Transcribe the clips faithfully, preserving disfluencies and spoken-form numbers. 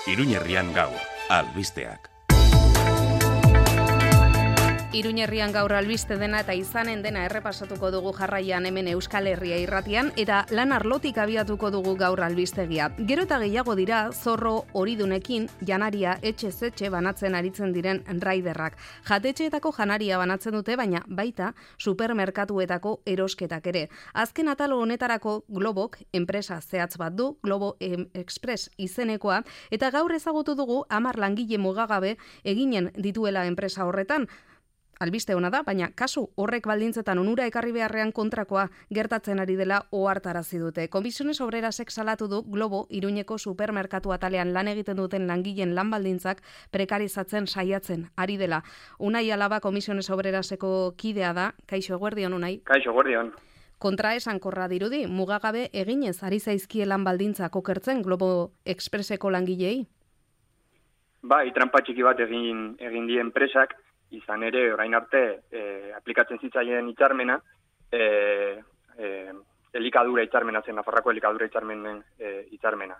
Iruñerrian gaur, albisteak. Iruñerrian gaur albiste dena eta izanen dena errepasatuko dugu jarraian hemen Euskal Herria irratian eta lan arlotik abiatuko dugu gaur albistegia. Gero eta gehiago dira zorro horidunekin janaria etxez etxe banatzen aritzen diren raiderrak. Jatetxeetako janaria banatzen dute, baina baita supermerkatuetako erosketak ere. Azken atalo honetarako Globok enpresa zehatz bat du, Globo Express izenekoa, eta gaur ezagutu dugu hamar langile mugagabe eginen dituela enpresa horretan. Albiste hona da, baina kasu horrek baldintzetan onura ekarri beharrean kontrakoa gertatzen ari dela ohartarazi dute. Komisiones Obrerasek salatu du Globo Iruñeko supermerkatu atalean lan egiten duten langileen lan baldintzak prekarizatzen saiatzen ari dela. Unai Alaba Komisiones Obreraseko kidea da. Kaixo, eguerdion, Unai. Kaixo, eguerdion. Kontra esankorra dirudi, mugagabe eginez ari zaizkie lan baldintzak okertzen Globo Expresseko langilei? Bai, trampa txiki bat egin egin die enpresak. Izan ere, orain arte, e, aplikatzen zitzaien hitzarmena, e, e, elikadura hitzarmena zen, Nafarroako elikadura hitzarmenen e, hitzarmena.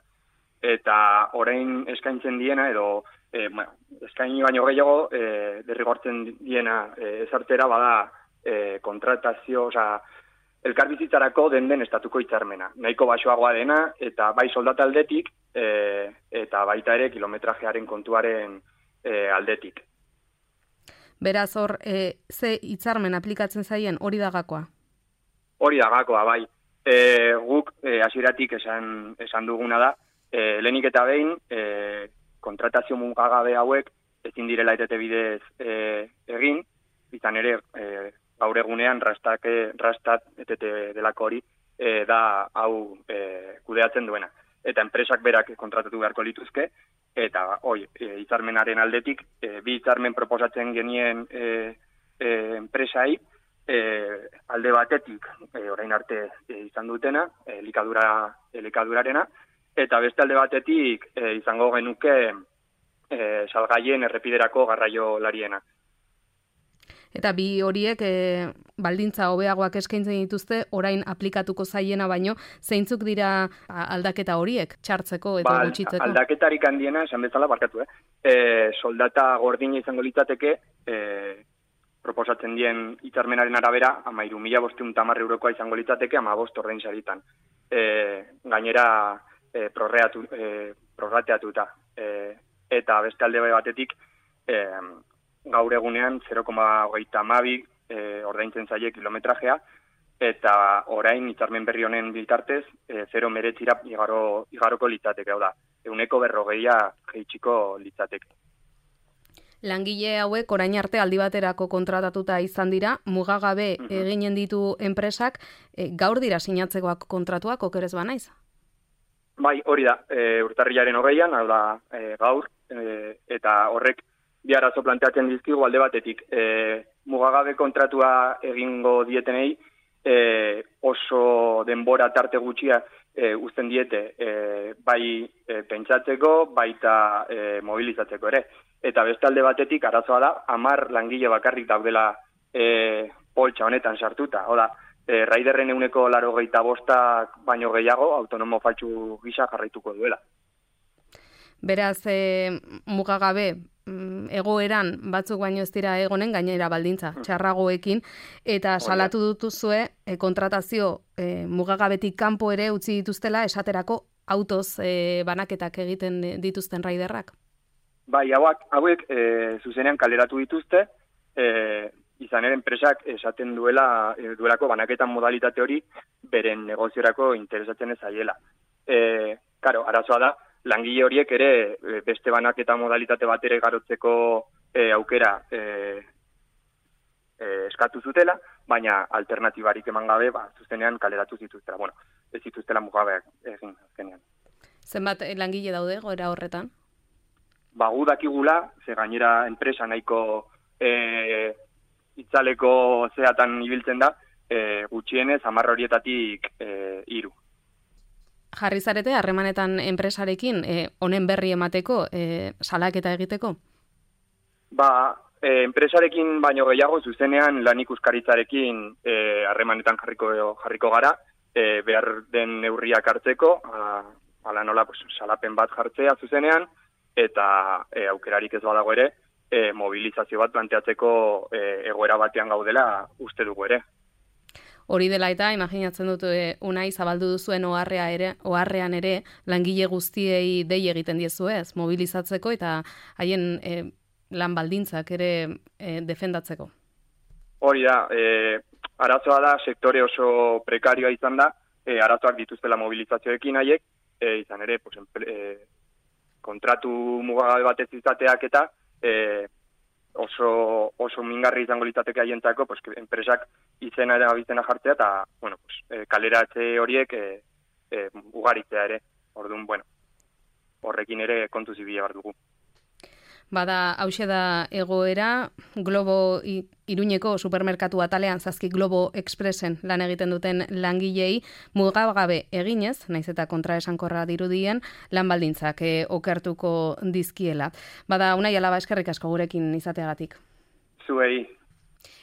Eta orain eskaintzen diena, edo e, bueno, eskaini baino gehiago, e, derrigortzen diena e, ezartzera bada e, kontratazio, osea, elkarbizitzarako den den estatuko hitzarmena. Nahiko baxoagoa dena, eta bai soldata aldetik, e, eta baita ere kilometrajearen kontuaren e, aldetik. Beraz hor, e, ze hitzarmen aplikatzen zaien hori da gakoa? Hori da gakoa, bai. E, guk e, hasieratik esan, esan duguna da, e, lehenik eta behin e, kontratazio mugagabe hauek ezin direla etete bidez e, egin, izan ere e, gaur egunean rastak, rastat etete delako hori e, da hau e, kudeatzen duena. Eta enpresak berak kontratatu beharko lituzke, eta hoi, e, hitzarmenaren aldetik, e, bi hitzarmen proposatzen genien e, e, enpresai, e, alde batetik, e, orain arte e, izan dutena, e, elikadura, elikadurarena, eta beste alde batetik e, izango genuke e, salgaien errepiderako garraio lariena. Eta bi horiek e, baldintza hobeagoak eskaintzen dituzte, orain aplikatuko zaiena baino, zeintzuk dira aldaketa horiek, txartzeko eta ba, gutxitzeko? Aldaketarik handiena, esan bezala, barkatu, eh? E, soldata gordina izango litzateke, e, proposatzen dien hitzarmenaren arabera, amairu mila bosteun tamar eurokoa izango litzateke, ama bost ordein saritan. E, gainera, e, prorreatu, e, prorrateatuta. E, eta beste alde batetik, e, gaur egunean zero koma hogeita hamabi e, ordaintzen zaie kilometrajea, eta orain hitzarmen berri honen bitartez e, zero meretzira igaro, igaroko litzateke, hau da, euneko berrogeia jeitsiko litzateke. Langile hauek orain arte aldi baterako kontratatuta izan dira, mugagabe mm-hmm. eginen ditu enpresak, e, gaur dira sinatzekoak kontratuak, okerez banaiz? Bai, hori da, e, urtarrilaren hogeian, hau da, e, gaur, e, eta horrek bi arazo planteatzen dizkigu alde batetik. E, mugagabe kontratua egingo dietenei e, oso denbora tarte gutxia e, uzten diete e, bai e, pentsatzeko, baita e, mobilizatzeko ere. Eta beste alde batetik arazoa da, hamar langile bakarrik daudela e, poltsa honetan sartuta. Oda, e, raiderren euneko laurogeita bostak baino gehiago autonomo faltsu gisa jarraituko duela. Beraz, e, mugagabe, egoeran batzuk baino ez dira egonen, gainera baldintza txarragoekin, eta salatu dutuzue e, kontratazio e, mugagabetik kanpo ere utzi dituztela esaterako autoz e, banaketak egiten dituzten raiderrak. Bai, hauak, hauek e, zuzenean kaleratu dituzte, e, izan ere enpresak esaten duela e, duelako banaketan modalitate hori beren negoziorako interesatzen ez aiela. E, karo, arazoa da, langile horiek ere beste banaketa modalitate bat ere garotzeko e, aukera e, e, eskatu zutela, baina alternatibarik eman gabe, ba, zuzenean kaleratu zituztela. Bueno, ez zituztela mugabeak egin azkenean. Zenbat langile daude goera horretan? Ba, gu dakigula, ze gainera enpresa nahiko e, itzaleko zeatan ibiltzen da, e, gutxienez hamar horietatik e, hiru. Jarri zarete harremanetan enpresarekin honen e, berri emateko, e, salaketa egiteko? Ba, e, enpresarekin baino gehiago zuzenean lan ikuskaritzarekin harremanetan e, jarriko jarriko gara, e, behar den neurriak hartzeko, a, ala nola pues, salapen bat jartzea zuzenean, eta e, aukerarik ez badago ere, e, mobilizazio bat planteatzeko e, egoera batean gaudela uste dugu ere. Hori dela eta, imaginatzen dut, e, Unai, zabaldu duzuen oharrea ere, oharrean ere, langile guztiei dei egiten diezuez, mobilizatzeko eta haien e, lan baldintzak ere e, defendatzeko. Hori da, e, arazoa da, sektore oso prekarioa izan da, e, arazoak dituztela mobilizazioekin haiek, e, izan ere, pues, e, kontratu mugagabe batez izateak eta e, oso, oso mingarri izango litzateke haientzako, pues, enpresak izena eta abizena jartzea, eta bueno, pues, e, kaleratze horiek e, e, ugaritzea ere. Orduan, bueno, horrekin ere kontu zibila behar dugu. Bada, hause da egoera, Globo Iruñeko supermerkatu atalean zazki Globo Expressen lan egiten duten langilei mugagabe eginez, naiz eta kontraesankorra dirudien, lan baldintzak e, okertuko dizkiela. Bada, Unai Alaba, eskerrik asko gurekin izateagatik. Zuei.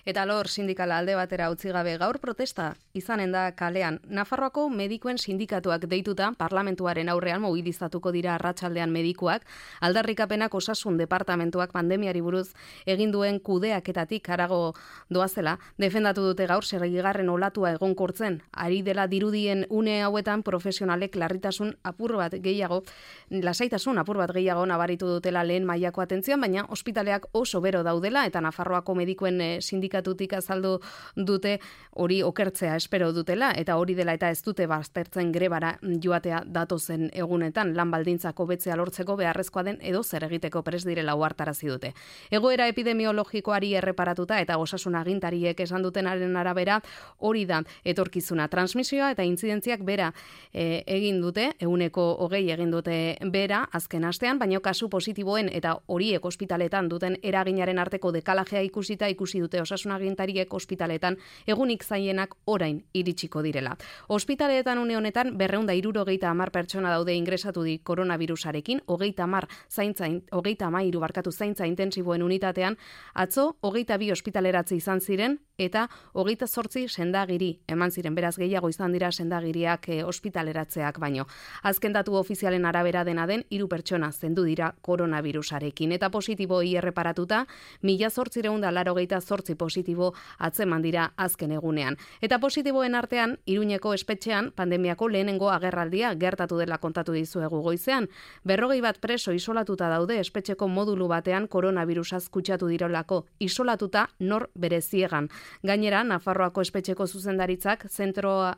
Eta lor sindikala alde batera utzi gabe gaur protesta izanen da kalean. Nafarroako medikuen sindikatuak deituta parlamentuaren aurrean mobilizatuko dira arratsaldean medikuak, aldarrikapenak osasun departamentuak pandemiari buruz egin duen kudeaketatik harago doazela, defendatu dute gaur seigarren olatua egonkortzen, ari dela dirudien une hauetan profesionalek larritasun apur bat gehiago, lasaitasun apur bat gehiago nabaritu dutela lehen mailako atentzioan, baina ospitaleak oso bero daudela eta Nafarroako medikuen sindikatuak tutik azaldu dute hori okertzea espero dutela eta hori dela eta ez dute baztertzen grebara joatea datozen egunetan lan baldintzak hobetzea lortzeko beharrezkoa den edo zer egiteko prest direla ohartarazi dute. Egoera epidemiologikoari erreparatuta eta osasun agintariek esan dutenaren arabera hori da etorkizuna, transmisioa eta intzidentziak bera e, egin dute, ehuneko hogei egin dute bera azken astean, baino kasu positiboen eta horiek ospitaletan duten eraginaren arteko dekalajea ikusita ikusi dute osasun agintariek ospitaletan egunik zailenak orain iritsiko direla. Ospitaletan une honetan berrehun eta hirurogeita hamar pertsona daude ingresatu di koronavirusarekin, hogeita hamar zaintza, hogeita hamairu barkatu zaintza intensiboen unitatean, atzo hogeita bi ospitaleratze izan ziren eta hogeita zortzi sendagiri eman ziren, beraz gehiago izan dira sendagiriak e, ospitaleratzeak baino. Azken datu ofizialen arabera dena den hiru pertsona zendu dira koronavirusarekin eta positiboi erreparatuta mila zortziehun eta laurogeita zortzi positibo atzeman dira azken egunean. Eta positiboen artean, Iruñeko espetxean pandemiako lehenengo agerraldia gertatu dela kontatu dizuegu goizean. Berrogei bat preso isolatuta daude espetxeko modulu batean koronavirusaz kutsatu dirolako, isolatuta nor bereziegan. Gainera, Nafarroako espetxeko zuzendaritzak zentroa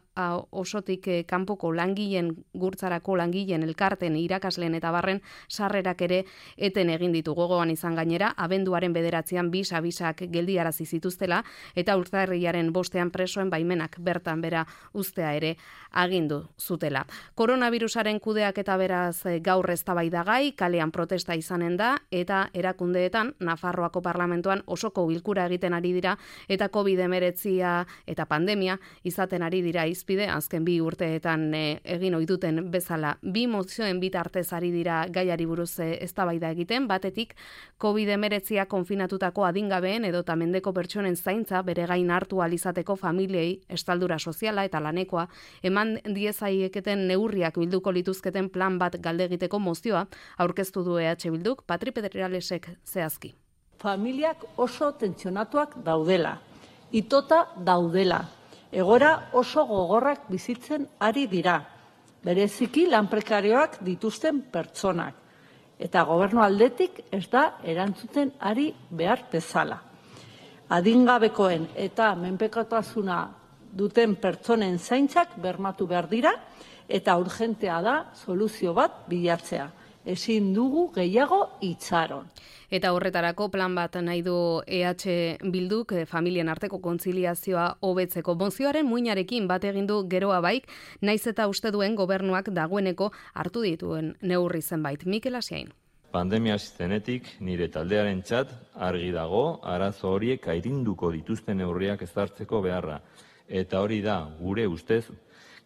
osotik kanpoko langileen gurtzarako langileen elkarten irakasleen eta barren sarrerak ere eten egin ditu. Gogoan izan gainera, abenduaren bederatzean bisa bisak geldiarazi zituztela eta urtarrilaren bostean presoen baimenak bertan bera uztea ere agindu zutela. Koronavirusaren kudeak eta beraz gaur eztabaidagai, kalean protesta izanen da eta erakundeetan Nafarroako parlamentuan osoko bilkura egiten ari dira eta covid hemeretzia eta pandemia izaten ari dira izpide azken bi urteetan e, egin ohi duten bezala. Bi mozioen bitartez ari dira gaiari buruz eztabaida egiten, batetik covid hemeretzia konfinatutako adingabeen edo mendeko pertsonen zaintza bere gain hartu alizateko familiei estaldura soziala eta lanekoa eman diezaieketen neurriak bilduko lituzketen plan bat galde egiteko mozioa aurkeztu du E H Bilduk, Patri Pedreralesek zehazki. Familiak oso tentsionatuak daudela, itota daudela, egora oso gogorrak bizitzen ari dira, bereziki lan prekarioak dituzten pertsonak, eta gobernu aldetik ez da erantzuten ari behar bezala. Adingabekoen eta menpekotasuna duten pertsonen zaintzak bermatu behar dira eta urgentea da soluzio bat bilatzea. Ezin dugu gehiago itxaron. Eta horretarako plan bat nahi du E H Bilduk familien arteko kontziliazioa hobetzeko. Mozioaren muinarekin bat egin du geroa baik, naiz eta uste duen gobernuak dagoeneko hartu dituen neurri zenbait. Mikel Asiain. Pandemia zenetik nire taldearen txat argi dago arazo horiek airinduko dituzten neurriak ezartzeko beharra. Eta hori da, gure ustez,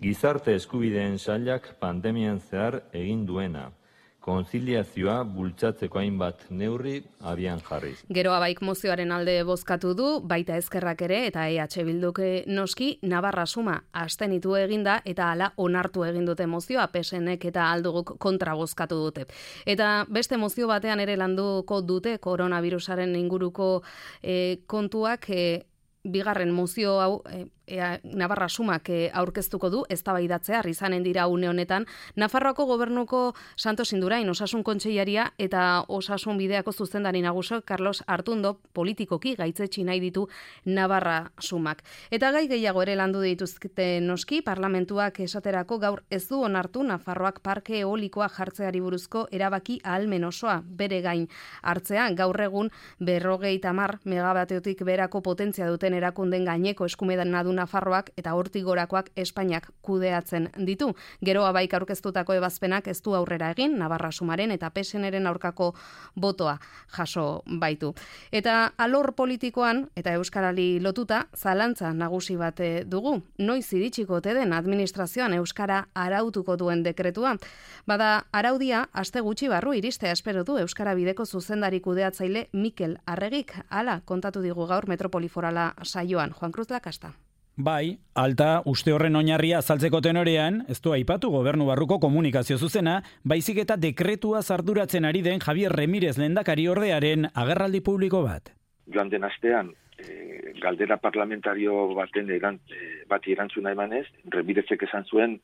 gizarte eskubideen sailak pandemian zehar egin duena. konziliazioa bultzatzeko hainbat neurri abian jarriz. Gero Abaik mozioaren alde bozkatu du, baita Ezkerrak ere eta E H Bilduk noski Navarra suma abstenitu eginda eta hala onartu egin dute mozioa, P S Nek eta Alduguk kontra bozkatu dute. Eta beste mozio batean ere landuko dute koronavirusaren inguruko e, kontuak e, bigarren mozio hau e, Ea, Navarra sumak e, aurkeztuko du, eztabaidatzea izanen dira une honetan, Nafarroako gobernuko Santos Indurain osasun kontseilaria eta osasun bideako zuzendari nagusi Carlos Artundo politikoki gaitzetsi nahi ditu Navarra sumak. Eta gai gehiago ere landu dituzte noski, parlamentuak esaterako gaur ez du onartu Nafarroak parke eolikoa jartzeari buruzko erabaki ahalmen osoa bere gain hartzea, gaur egun berrogeita hamar megawateotik berako potentzia duten erakunden gaineko eskumedan adu Nafarroak eta hortik gorakoak Espainiak kudeatzen ditu. Gero Abaik aurkeztutako ebazpenak ez du aurrera egin, Navarra sumaren eta P S Nren aurkako botoa jaso baitu. Eta alor politikoan eta euskarari lotuta zalantza nagusi bat dugu. Noiz iritsiko ote den administrazioan euskara arautuko duen dekretua. Bada araudia aste gutxi barru iristea espero du euskara bideko zuzendari kudeatzaile Mikel Arregik, hala kontatu digu gaur Metropoliforala saioan. Juan Cruz Lakasta. Bai, alta uste horren oinarria azaltzeko tenorean, ez du aipatu gobernu barruko komunikazio zuzena, baizik eta dekretua arduratzen ari den Javier Remirez lehendakari ordearen agerraldi publiko bat. Joan den astean, e, galdera parlamentario baten eran, e, bati erantzuna emanez, Remirezek esan zuen,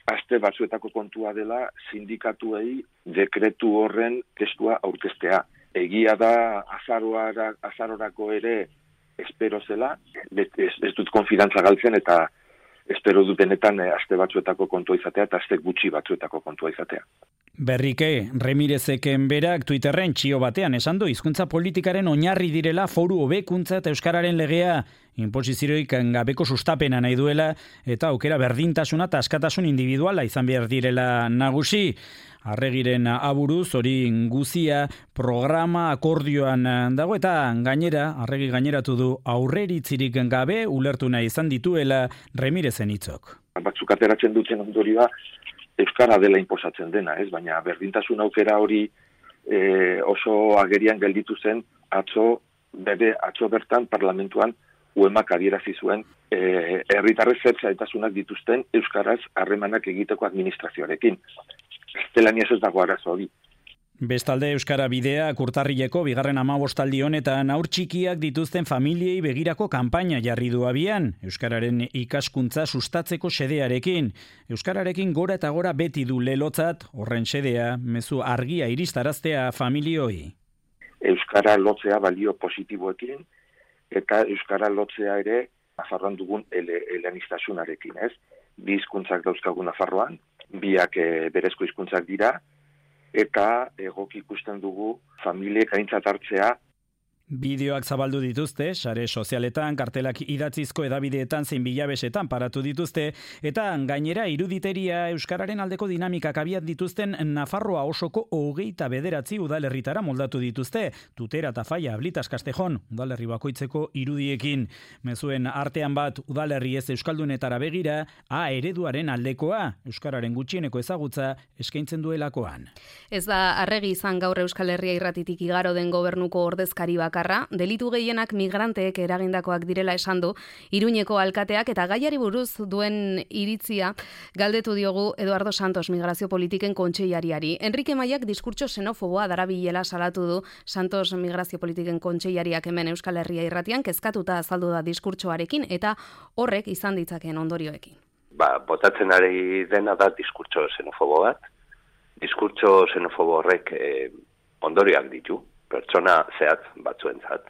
aste batzuetako kontua dela sindikatuei dekretu horren testua aurkeztea. Egia da azaroara, azarorako ere espero zela, ez, ez dut konfidantza galtzen eta espero dut benetan eh, aste batzuetako kontua izatea eta aste gutxi batzuetako kontua izatea. Berrike, Remirezeken berak Twitterren txio batean esan du hizkuntza politikaren oinarri direla foru hobekuntza eta euskararen legea inposizioik gabeko sustapena nahi duela eta aukera berdintasuna eta askatasun individuala izan behar direla nagusi. Arregiren aburuz hori guzia programa akordioan dago eta gainera, Arregi gaineratu du aurreritzirik gabe ulertu nahi izan dituela Remirezen hitzok. Batzuk ateratzen duten ondorioa euskara dela inposatzen dena, ez? Baina berdintasun aukera hori e, oso agerian gelditu zen atzo, bere, atzo bertan parlamentuan uemak adierazi zuen e, herritarrez zertzaitasunak dituzten euskaraz harremanak egiteko administrazioarekin. Gaztelaniaz ez dago arazo hori. Bestalde euskara bidea urtarrileko bigarren hamabostaldi honetan haur txikiak dituzten familiei begirako kanpaina jarri du abian, euskararen ikaskuntza sustatzeko xedearekin. Euskararekin gora eta gora beti du lelotzat, horren xedea, mezu argia iristaraztea familioi. Euskara lotzea balio positiboekin eta euskara lotzea ere Nafarroan dugun ele, eleaniztasunarekin, ez? Bi hizkuntzak dauzkagu Nafarroan, biak e, berezko hizkuntzak dira, eta egoki ikusten dugu familiek aintzat hartzea. Bideoak zabaldu dituzte, sare sozialetan, kartelak idatzizko edabideetan zein bilabesetan paratu dituzte, eta gainera iruditeria euskararen aldeko dinamikak abiat dituzten Nafarroa osoko hogeita bederatzi udalerritara moldatu dituzte, Tutera eta Faia, Blitas, Castejon, udalerri bakoitzeko irudiekin. Mezuen artean bat udalerri ez euskaldunetara begira, A ereduaren aldekoa, euskararen gutxieneko ezagutza eskaintzen duelakoan. Ez da Arregi izan gaur Euskal Herria irratitik igaro den gobernuko ordezkari bakar. Delitu gehienak migranteek eragindakoak direla esan du Iruñeko alkateak eta gaiari buruz duen iritzia galdetu diogu Eduardo Santos migrazio politiken kontseilariari. Enrique Maiak diskurtso xenofoboa darabilela salatu du Santos migrazio politiken kontseilariak hemen Euskal Herria irratian kezkatuta azaldu da diskurtsoarekin eta horrek izan ditzakeen ondorioekin. Ba, botatzen ari dena da diskurtso xenofobo bat. Diskurtso xenofobo horrek eh, ondorioak ditu. Pertsona zehatz batzuentzat,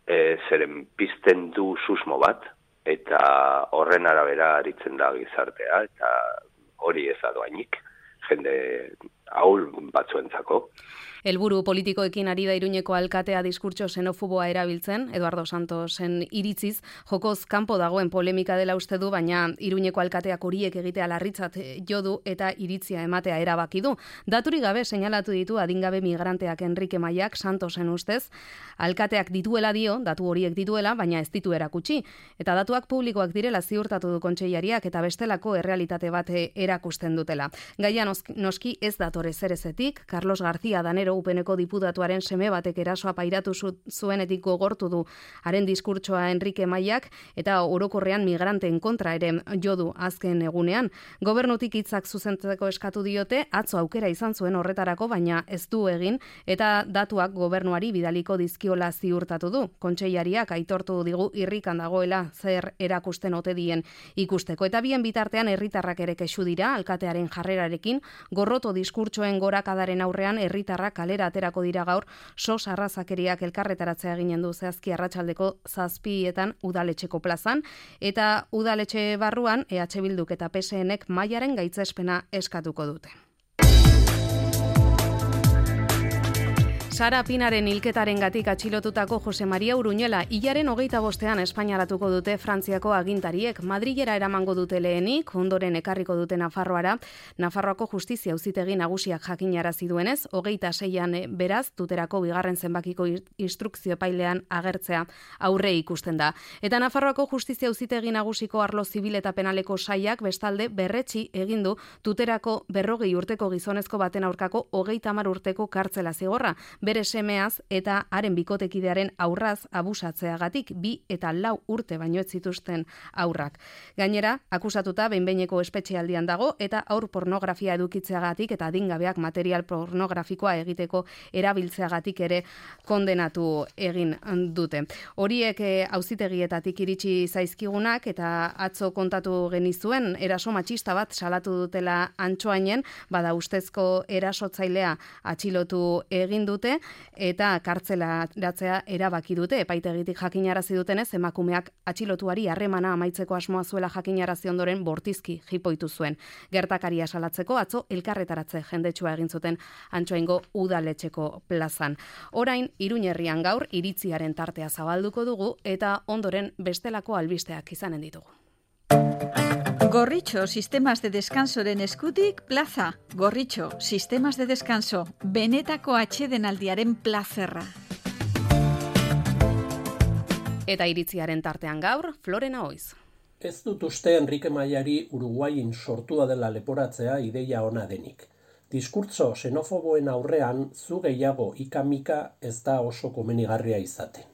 e, zeren pizten du susmo bat, eta horren arabera aritzen da gizartea, eta hori ez da doainik, jende ahul batzuentzako. Helburu politikoekin ari da Iruñeko alkatea diskurtso xenofoboa erabiltzen, Eduardo Santosen iritziz, jokoz kanpo dagoen polemika dela uste du, baina Iruñeko alkateak horiek egitea larritzat jo du eta iritzia ematea erabaki du. Daturik gabe seinalatu ditu adingabe migranteak Enrique Maiak Santosen ustez, alkateak dituela dio, datu horiek dituela, baina ez ditu erakutsi. Eta datuak publikoak direla ziurtatu du kontseilariak eta bestelako errealitate bat erakusten dutela. Gaia noski ez datore zerezetik, Carlos García Danero Upeneko diputatuaren seme batek erasoa pairatu zuenetik gogortu du haren diskurtsoa Enrique Maiak eta orokorrean migranteen kontra ere jo du azken egunean. Gobernutik hitzak zuzentzeko eskatu diote, atzo aukera izan zuen horretarako, baina ez du egin eta datuak gobernuari bidaliko dizkiola ziurtatu du. Kontseilariak aitortu digu irrikan dagoela zer erakusten ote dien ikusteko. Eta bien bitartean herritarrak ere kexu dira alkatearen jarrerarekin, gorroto diskurtsoen gorakadaren aurrean herritarrak kalera aterako dira gaur sos arrazakeriak elkarretaratzea eginen du zehazki arratsaldeko zazpietan udaletxeko plazan, eta udaletxe barruan E H Bilduk eta P S Nek Maiaren gaitzespena eskatuko dute. Sara Pinaren hilketaren gatik atxilotutako Jose Maria Uruñuela hilaren hogeita bostean espainaratuko dute Frantziako agintariek. Madrilera eramango dute lehenik, ondoren ekarriko dute Nafarroara. Nafarroako justizia auzitegi nagusiak jakinarazi duenez, hogeita seian beraz, tuterako bigarren zenbakiko instrukzio epailean agertzea aurre ikusten da. Eta Nafarroako justizia auzitegi nagusiko arlo zibil eta penaleko saiak bestalde berretsi egin du tuterako berrogei urteko gizonezko baten aurkako hogeita hamar urteko kartzela zigorra. Bere semeaz eta haren bikotekidearen aurraz abusatzeagatik bi eta lau urte baino ez zituzten aurrak. Gainera, akusatuta behin-behineko espetxealdian dago eta aur pornografia edukitzeagatik eta adingabeak material pornografikoa egiteko erabiltzeagatik ere kondenatu egin dute. Horiek auzitegietatik iritsi zaizkigunak eta atzo kontatu genizuen eraso matxista bat salatu dutela Antsoainen, bada ustezko erasotzailea atxilotu egin dute eta kartzelatzea erabaki dute. Epaitegitik jakinarazi dutenez, emakumeak atxilotuari harremana amaitzeko asmoa zuela jakinarazi ondoren bortizki jipoitu zuen. Gertakaria salatzeko atzo elkarretaratze jendetsua egin zuten Antsoaingo udaletxeko plazan. Orain Iruñerrian gaur iritziaren tartea zabalduko dugu eta ondoren bestelako albisteak izanen ditugu. Gorritxo Sistemas de Descansoren eskutik plaza. Gorritxo Sistemas de Descanso, benetako atsedenaldiaren plazerra. Eta iritziaren tartean gaur, Florena Oiz. Ez dut uste Enrique Maiari Uruguain sortua dela leporatzea ideia ona denik. Diskurtso xenofoboen aurrean zu gehiago ikamika ez da oso komenigarria izaten.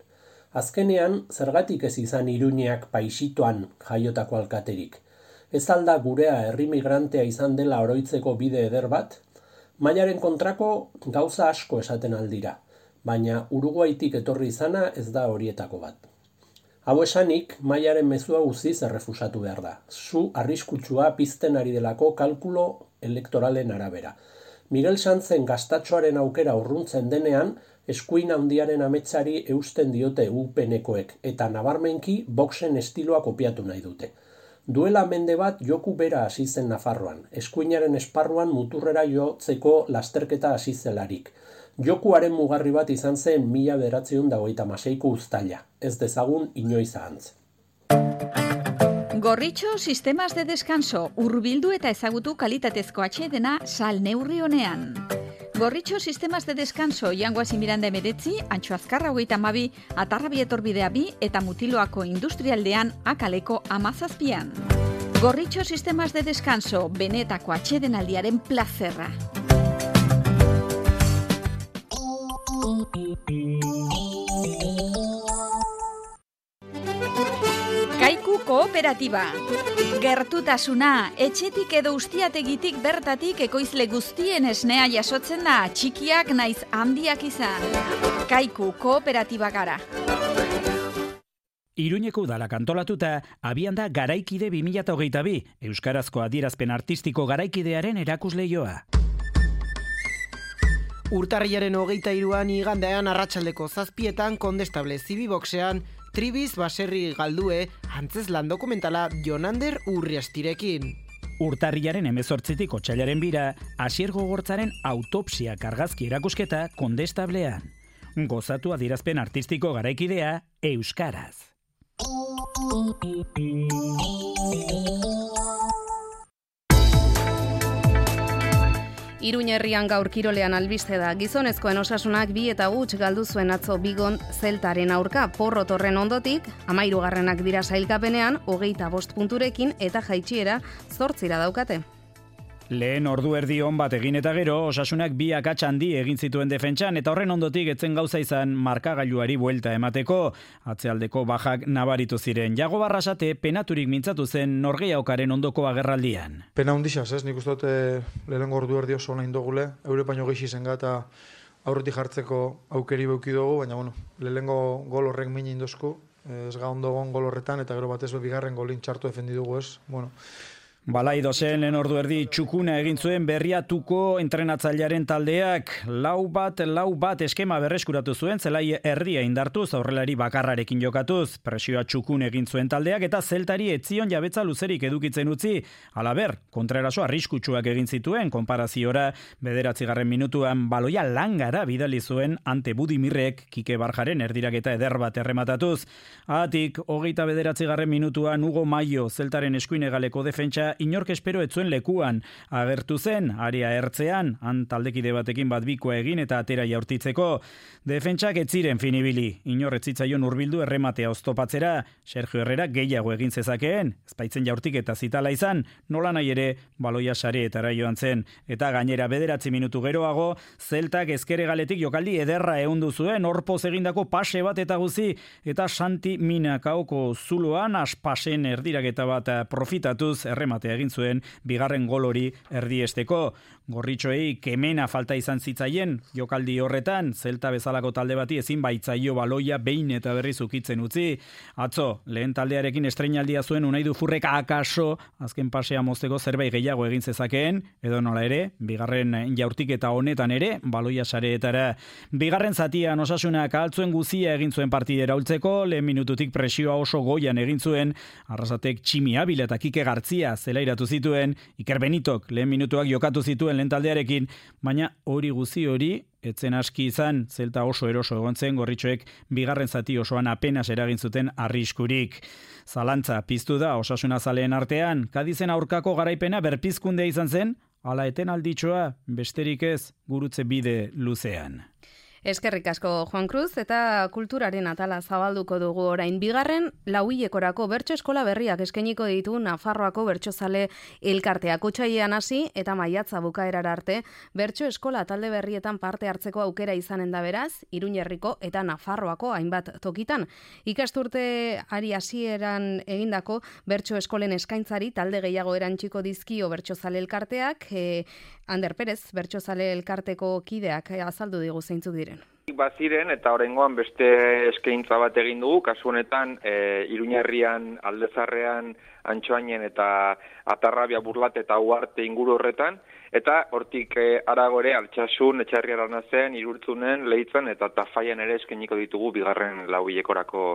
Azkenean, zergatik ez izan Iruñeak paisitoan jaiotako alkaterik. Ez alda gurea herri migrantea izan dela oroitzeko bide eder bat? Maiaren kontrako gauza asko esaten aldira, baina Uruguaitik etorri izana ez da horietako bat. Hau esanik, Maiaren mezua guziz errefusatu behar da. Zu arriskutsua pizten ari delako kalkulo elektoralen arabera. Miguel Sanzen gaztatxoaren aukera urruntzen denean, eskuin handiaren ametsari eusten diote U P Nekoek eta nabarmenki Voxen estiloa kopiatu nahi dute. Duela mende bat joku bera hasi zen Nafarroan, eskuinaren esparruan muturrera jotzeko lasterketa hasi zelarik. Jokuaren mugarri bat izan zen mila bederatziehun eta hogeita hamaseiko uztaila, ez dezagun inoiz ahantz. Gorritxo Sistemas de Descanso, hurbildu eta ezagutu kalitatezko atsedena sal neurri honean. Gorritxo Sistemas de Descanso, Jangoasi Miranda emeretzi, Antxo Azkarra hogeita hamabi, Atarrabi etorbidea bi eta Mutiloako industrialdean akaleko amazazpian. Gorritxo Sistemas de Descanso, benetako atsedenaldiaren plazerra. Kaiku Kooperatiba. Gertutasuna, etxetik edo ustiategitik bertatik ekoizle guztien esnea jasotzen da, txikiak naiz handiak izan. Kaiku Kooperatiba gara. Iruñeko udalak antolatuta, abian da Garaikide bi mila hogeita bi, euskarazko adierazpen artistiko garaikidearen erakusleioa. Urtarrilaren hogeita hiruan igandean arratsaldeko zazpietan Kondestable Zibiboxean, Tribiz baserri galdue antzeslan dokumentala Jonander Urriastirekin. Urtarrilaren hemezortzitik otsailaren bira, Asier Gogortzaren autopsia argazki erakusketa Kondestablean. Gozatu adierazpen artistiko garaikidea euskaraz. Iruñerrian gaur kirolean albiste da. Gizonezkoen osasunak bi eta huts galdu zuen atzo Bigon Zeltaren aurka. Porrot horren ondotik, hamahirugarrenak dira sailkapenean, hogeita bost punturekin eta jaitsiera zortzira daukate. Lehen ordu erdi on bat egin eta gero, osasunak bi akats handi egin zituen defentsan eta horren ondotik etzen gauza izan markagailuari buelta emateko. Atzealdeko bajak nabaritu ziren. Jago Barrasate penaturik mintzatu zen norgehiaokaren ondoko agerraldian. Pena hundixaz, ez? Nik uste dut lehenengo ordu erdi oso nahi indogule, eure paino geixi zen gata aurretik jartzeko aukeri beuki dugu, baina bueno, lehenengo gol horrek min indozku, ez ga ondo gon gol horretan eta gero batez bigarren golin txartu defendi dugu, ez? Bueno, Balaido zen lehen ordu erdi txukuna egin zuen Berriatuko entrenatzailearen taldeak. Lau bat, lau bat eskema berreskuratu zuen, zelai erdia indartuz, aurrelari bakarrarekin jokatuz. Presioa txukun egin zuen taldeak eta zeltari etzion jabetza luzerik edukitzen utzi. Halaber, kontreraso arriskutsuak egin zituen, konparaziora bederatzigarren minutuan baloia langara bidali zuen ante Budimirrek Kike Barjaren erdiraketa eder bat errematatuz. Atik, hogeita bederatzigarren minutuan Hugo Maio zeltaren eskuinegaleko defentsa inork espero etzuen lekuan agertu zen, area ertzean, han taldekide batekin bat bikoa egin eta atera jaurtitzeko. Defentsak ez ziren finibili, inor ez zitzaion hurbildu errematea oztopatzera, Sergio Herrera gehiago egin zezakeen, ezpaitzen jaurtik eta zitala izan, nola nahi ere baloia sareetara joan zen, eta gainera bederatzi minutu geroago, zeltak ezkere galetik jokaldi ederra ehundu zuen, horpoz egindako pase bat eta guzi, eta Santi Minakaoko zuloan aspasen erdiraketa bat profitatuz errematea egin zuen bigarren gol hori erdiesteko. Gorritxoei kemena falta izan zitzaien jokaldi horretan, zelta bezalako talde bati ezin baitzaio baloia behin eta berriz ukitzen utzi. Atzo, lehen taldearekin estreinaldia zuen Unai Dufurrek akaso azken pasea mozteko zerbait gehiago egin zezakeen, edo nola ere, bigarren jaurtiketa honetan ere, baloia sareetara. Bigarren zatian Osasunak altzuen guzia egin zuen partidera ultzeko, lehen minututik presioa oso goian egin zuen, Arrasatek Tximi Abila eta Kike Gartzia zelairatu zituen, Iker Benitok lehen minutuak jokatu zituen lehen taldearekin, baina hori guzi hori etzen aski izan, zelta oso eroso egon zen, Gorritxoek bigarren zati osoan apenas eragin zuten arriskurik. Zalantza piztu da Osasuna zaleen artean, Kadizen aurkako garaipena berpizkundea izan zen, ala eten alditxoa, besterik ez, gurutze bide luzean. Eskerrik asko Juan Cruz eta kulturaren atala zabalduko dugu orain. Bigarren lauhilekorako bertso eskola berriak eskainiko ditu Nafarroako bertsozale elkarteak. Otsailean hasi eta maiatza bukaerara arte bertso eskola talde berrietan parte hartzeko aukera izanen da beraz, Iruñerriko eta Nafarroako hainbat tokitan. Ikasturte ari hasieran egindako bertso eskolen eskaintzari talde gehiago erantsiko dizkio bertsozale elkarteak. E, Ander Perez, bertsozale elkarteko kideak azaldu digu zeintzuk diren. Baziren eta oraingoan beste eskaintza bat egin dugu, kasu honetan e, Iruñerrian, Aldezarrean, Antxoainen eta Atarrabia, Burlate eta Uarte inguru horretan, eta hortik e, aragore Altsasun, Etxarri Aranazen, Irurtzunen, Leitzan eta Tafaian ere eskainiko ditugu bigarren lauhilekorako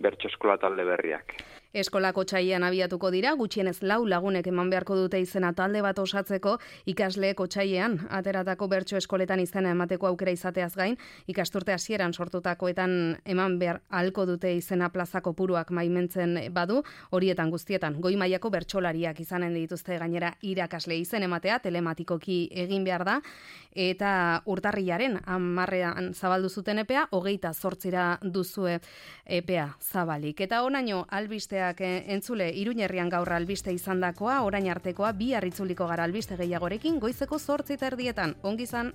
bertso eskola talde berriak. Eskolako otsailean abiatuko dira, gutxienez lau lagunek eman beharko dute izena talde bat osatzeko, ikasleek otsailean ateratako bertso eskoletan izena emateko aukera izateaz gain, ikasturte hasieran sortutakoetan eman behar ahalko dute izena plaza kopuruak maimentzen badu, horietan guztietan goi mailako bertsolariak izanen dituzte gainera irakasle izen ematea, telematikoki egin behar da, eta urtarrilaren hamarrean zabaldu zuten epea, hogeita zortzira duzue epea zabalik. Eta onaino albistea entzule Iruñerrian gaur albiste izandakoa, orain artekoa bihar itzuliko gara albiste gehiagorekin goizeko zortzi eta erdietan. Ongi izan.